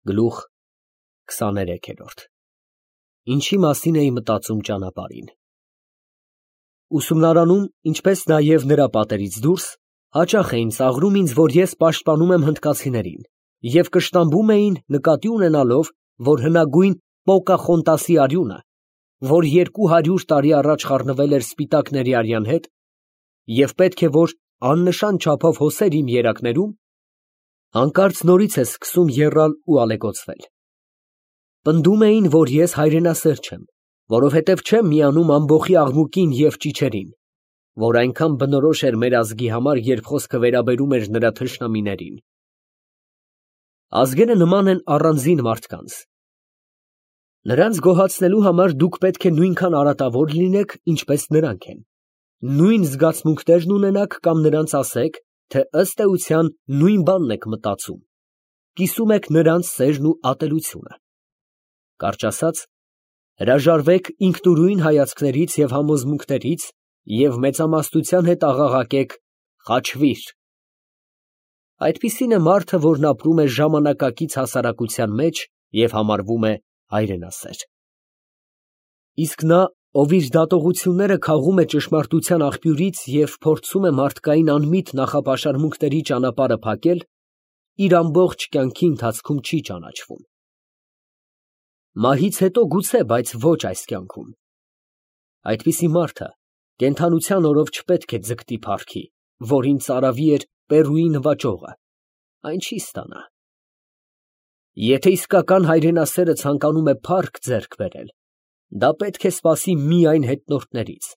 Գլուխ 23։ Ինչի մասին էի մտածում ճանապարհին։ Ուսումնարանում, ինչպես նաև նրա պատերից դուրս, հաճախ էին ծաղրում ինձ, որ ես պաշտպանում եմ հնդկացիներին, և կշտամբում էին նկատի ունենալով, որ հնագույն Պոկախոնտասի արյունը, որ 200 տարի առաջ խառնվել էր սպիտակների արյան հետ, և պետք է որ աննշան չափով հոսեր իմ երակներում, հանկարծ նորից է սկսում եռալ ու ալեկոծվել։ Պնդում էին, որ ես հայրենասեր չեմ, որովհետև չեմ միանում ամբոխի աղմուկին և ճիչերին, որ այնքան բնորոշ էր մեր ազգի համար, երբ խոսքը վերաբերում էր նրա թշնամիներին։ Ազգերը նման են առանձին մարդկանց։ Նրանց գոհացնելու համար դուք պետք է նույնքան արատավոր լինեք, ինչպես նրանք են, նույն զգացմունքներն ունենաք կամ նրանց ասեք, թե ըստ էության նույն բանն եք մտածում, կիսում եք նրանց սերն ու ատելությունը։ Կարճ ասած, հրաժարվեք ինքնուրույն հայացքներից և համոզմունքներից և մեծամասնության հետ աղաղակեք «խաչվիր»։ Այդպիսին է մարդը, որն ապրում է ժամանակակից հասարակության մեջ և համարվում է հայրենասեր։ Իսկ նա, ով իր դատողությունները քաղում է ճշմարտության աղբյուրից և փորձում է մարդկային անմիտ նախապաշարմունքների ճանապարհը փակել, իր ամբողջ կյանքի ընթացքում չի ճանաչվում։ Մահից հետո գուցե, բայց ոչ այս կյանքում։ Այդպիսի մարդը կենդանության օրով չպետք է ձգտի փառքի, որին ծարավի էր Պերուի նվաճողը, այն չի ստանա։ Եթե իսկական հայրենասերը ցանկանում է փառք ձեռք բերել, դա պետք է սպասի միայն հետնորդներից,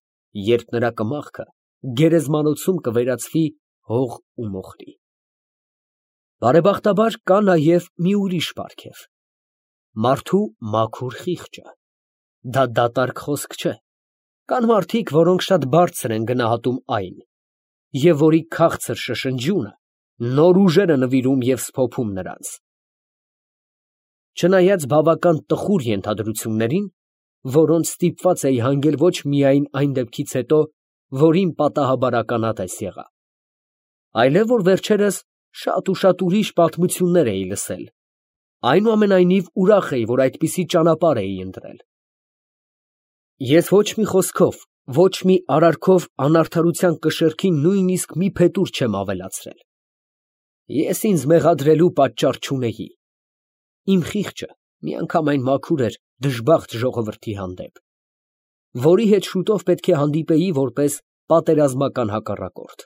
երբ նրա կմախքը գերեզմանոցում կվերածվի հող ու մոխրի։ Բարեբախտաբար կա նաև մի ուրիշ պարգև. մարդու մաքուր խիղճը։ Դա դատարկ խոսք չէ։ Կան մարդիկ, որոնք շատ բարձր են գնահատում այն, և որի քաղցր շշնջյունը նոր ուժեր է նվիրում և սփոփում նրանց։ Չնայած բավական տխուր ենթադրություններին, որոնց ստիպված էի հանգել ոչ միայն այն դեպքից հետո, որ իմ պատահաբար ականատես եղա, այլև որ վերջերս շատ ու շատ ուրիշ պատմություններ էի լսել, այնուամենայնիվ ուրախ էի, որ այդպիսի ճանապարհ էի ընտրել։ Ես ոչ մի խոսքով, ոչ մի արարքով անարդարության կշեռքին նույնիսկ մի փետուր չեմ ավելացրել։ Ես ինձ մեղադրելու պատճառ չունեի։ Իմ խիղճը միանգամայն մաքուր էր դժբախտ ժողովրդի հանդեպ, որի հետ շուտով պետք է հանդիպեի որպես պատերազմական հակառակորդ։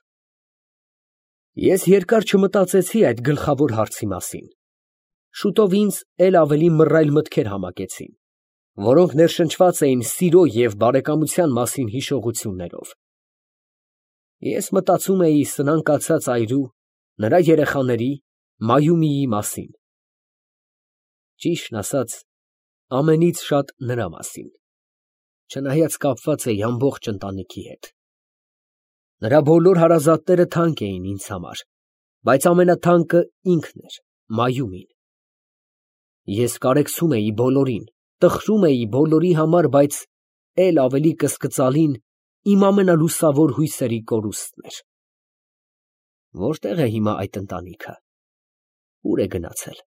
Ես երկար չմտածեցի այդ գլխավոր հարցի մասին։ Շուտով ինձ էլ ավելի մռայլ մտքեր համակեցին, որոնք ներշնչված էին սիրո և բարեկամության մասին հիշողություններով։ Ես մտածում էի սնանկացած այրու, նրա երեխաների, Մայումիի մասին։ Ճիշտն ասած, ամենից շատ նրա մասին, չնայած կապված էի ամբողջ ընտանիքի հետ։ Նրա բոլոր հարազատները թանկ էին ինձ համար, բայց ամենաթանկը ինքն էր, Մայումին։ Ես կարեկցում էի բոլորին, տխրում էի բոլորի համար, բայց էլ ավելի կսկծալին իմ ամենալուսավոր հույսերի կորուստն էր։ Որտե՞ղ է հիմա այդ ընտանիքը, ուր է գնացել։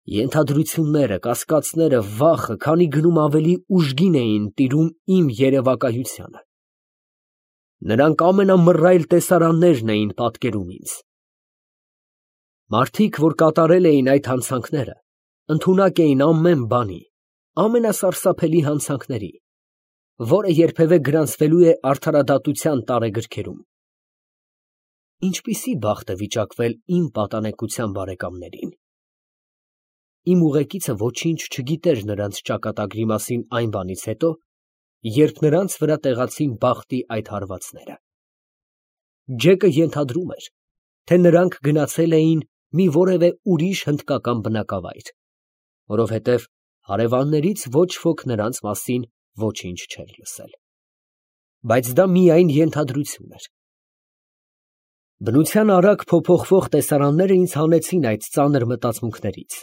Ենթադրությունները, կասկածները, վախը քանի գնում ավելի ուժգին էին տիրում իմ երևակայությանը։ Նրանք ամենամռայլ տեսարաններն էին պատկերում ինձ։ Մարդիկ, որ կատարել էին այդ հանցանքները, ընդունակ էին ամեն բանի, ամենասարսափելի հանցանքների, որը երբևէ գրանցվելու է արդարադատության տարեգրքերում։ Ինչպիսի բախտ է վիճակվել իմ պատանեկության բարեկամներին։ Իմ ուղեկիցը ոչինչ չգիտեր նրանց ճակատագրի մասին այն բանից հետո, երբ նրանց վրա տեղացին բախտի այդ հարվածները։ Ջեկը ենթադրում էր, թե նրանք գնացել էին մի որևէ ուրիշ հնդկական բնակավայր, որովհետև հարևաններից ոչ ոք նրանց մասին ոչինչ չէր լսել։ Բայց դա միայն ենթադրություն էր։ Բնության արագ փոփոխվող տեսարանները ինձ հանեցին այդ ծանր մտածմունքներից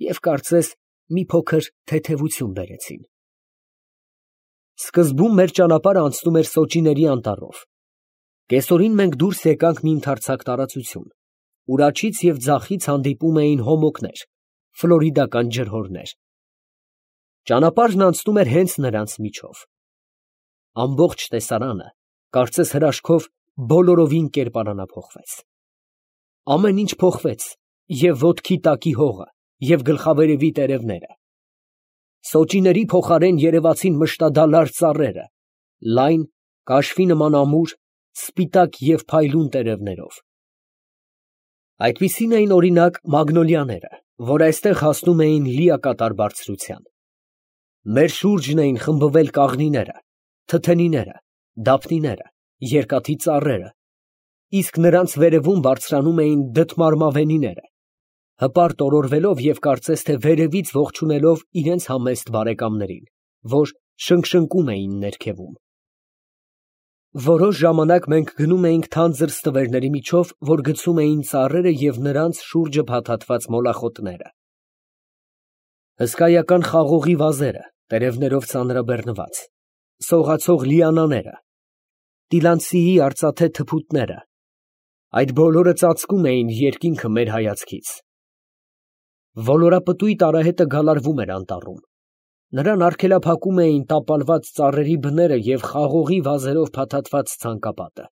և կարծես մի փոքր թեթևություն բերեցին։ Սկզբում մեր ճանապարհը անցնում էր Սոճիների անտառով։ Կեսօրին մենք դուրս եկանք մի ընդարձակ տարածություն, ուր աջից և ձախից հանդիպում էին հոմոկներ, ֆլորիդական ջրհորներ։ Ճանապարհն անցնում էր հենց նրանց միջով։ Ամբողջ տեսարանը, կարծես հրաշքով, բոլորովին կերպարանափոխվեց։ Ամեն ինչ փոխվեց, և ոտքի տակի հողը, և գլխավերևի տերևները։ Սոճիների փոխարեն երևացին մշտադալար ծառերը, լայն, կաշվի նման ամուր, սպիտակ և փայլուն տերևներով։ Այդպիսին էին, օրինակ, մագնոլիաները, որ այստեղ հասնում էին լիակատար բարձրության։ Մեր շուրջն էին խմբվել կաղնիները, թթենիները, դափնիները, երկաթի ծառերը, իսկ նրանց վերևում բարձրանում էին դդմարմավենիները, հպարտ օրորվելով և կարծես թե վերևից ողջունելով իրենց համեստ բարեկամներին, որ շնգշնկում էին ներքևում։ Որոշ ժամանակ մենք գնում էինք թանձր ստվերների միջով, որ գցում էին ծառերը և նրանց շուրջը փաթաթված մոլախոտները։ Հսկայական խաղողի վազերը, տերևներով ծանրաբեռնված, սողացող լիանաները, տիլանցիի արծաթե թփուտները, այդ բոլորը ծածկում էին երկինքը մեր հայացքից։ Ոլորապտույտ արահետը գալարվում էր անտառում, նրան արգելափակում էին տապալված ծառերի բները և խաղողի վազերով փաթաթված ցանկապատը։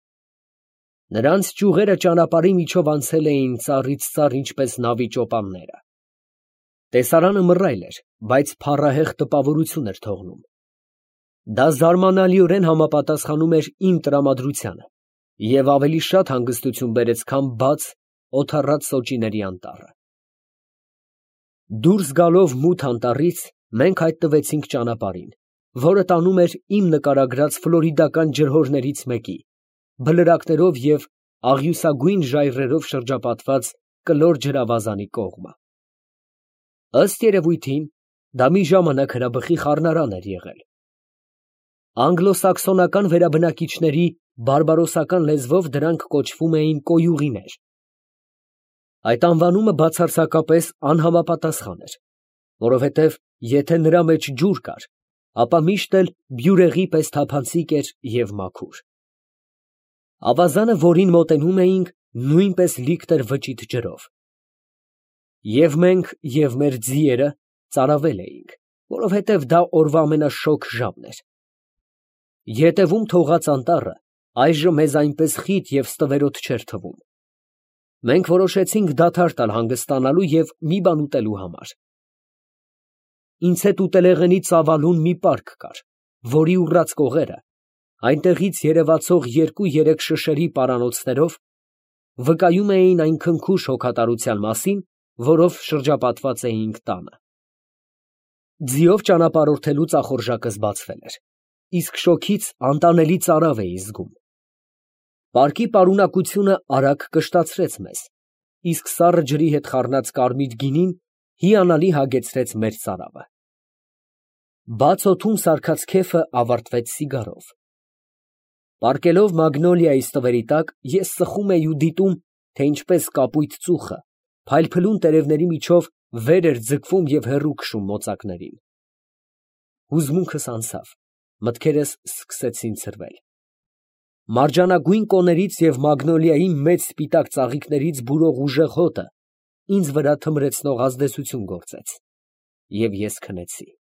Նրանց ճյուղերը ճանապարհի միջով անցել էին ծառից ծառ, ինչպես նավի ճոպանները։ Տեսարանը մռայլ էր, բայց փառահեղ տպավորություն էր թողնում։ Դա զարմանալիորեն համապատասխանում էր իմ տրամադրությանը և ավելի շատ հանգստություն բերեց, քան բաց, օդառած սոճիների անտառը։ Դուրս գալով մութ անտառից, մենք հայտնվեցինք ճանապարհին, որը տանում էր իմ նկարագրած ֆլորիդական ջրհորներից մեկի, բլրակներով և աղյուսագույն ժայռերով շրջապատված կլոր ջրավազանի կողմը։ Ըստ երևույթին, դա մի ժամանակ հրաբխի խառնարան էր եղել։ Անգլոսաքսոնական վերաբնակիչների բարբարոսական լեզվով դրանք կոչվում էին կոյուղիներ։ Այդ անվանումը բացարձակապես անհամապատասխան էր, որովհետև եթե նրա մեջ ջուր կար, ապա միշտ էլ բյուրեղի պես թափանցիկ էր և մաքուր։ Ավազանը, որին մոտենում էինք, նույնպես լիքտ էր վճիտ ջրով։ Եվ մենք, և մեր ձիերը ծարավել էինք, որովհետև դա օրվա ամենաշոգ ժամն էր։ Ետևում թողած անտառը այժմ մեզ այնպես խիտ և ստվերոտ չէր թվում։ Մենք որոշեցինք դադար տալ հանգստանալու և մի բան ուտելու համար։ Ինձ հետ ուտելեղենի ծավալուն մի պարկ կար, որի ուռած կողերը, այնտեղից երևացող 2-3 շշերի պարանոցներով, վկայում էին այն քնքուշ հոգատարության մասին, որով շրջապատված էինք տանը։ Ձիով ճանապարհորդելու ծախորժակս բացվել էր, իսկ շոգից անտանելի ծարավ էի զգում։ Պարկի պարունակությունը արագ կշտացրեց մեզ, իսկ սառը ջրի հետ խառնած կարմիր գինին հիանալի հագեցրեց մեր ծարավը։ Բաց օդում սարքած քեֆը ավարտվեց սիգարով։ Պառկելով մագնոլիայի ստվերի տակ, ես սխում էի ու դիտում, թե ինչպես կապույտ ծուխը փայլփլուն տերևների միջով վեր էր ձգվում և հեռու քշում մոծակներին։ Հուզմունքս անցավ, մտքերս սկսեցին ցրվել։ Մարջանագույն կոներից և մագնոլիայի մեծ սպիտակ ծաղիկներից բուրող ուժեղ հոտը ինձ վրա թմրեցնող ազդեցություն գործեց, և ես քնեցի։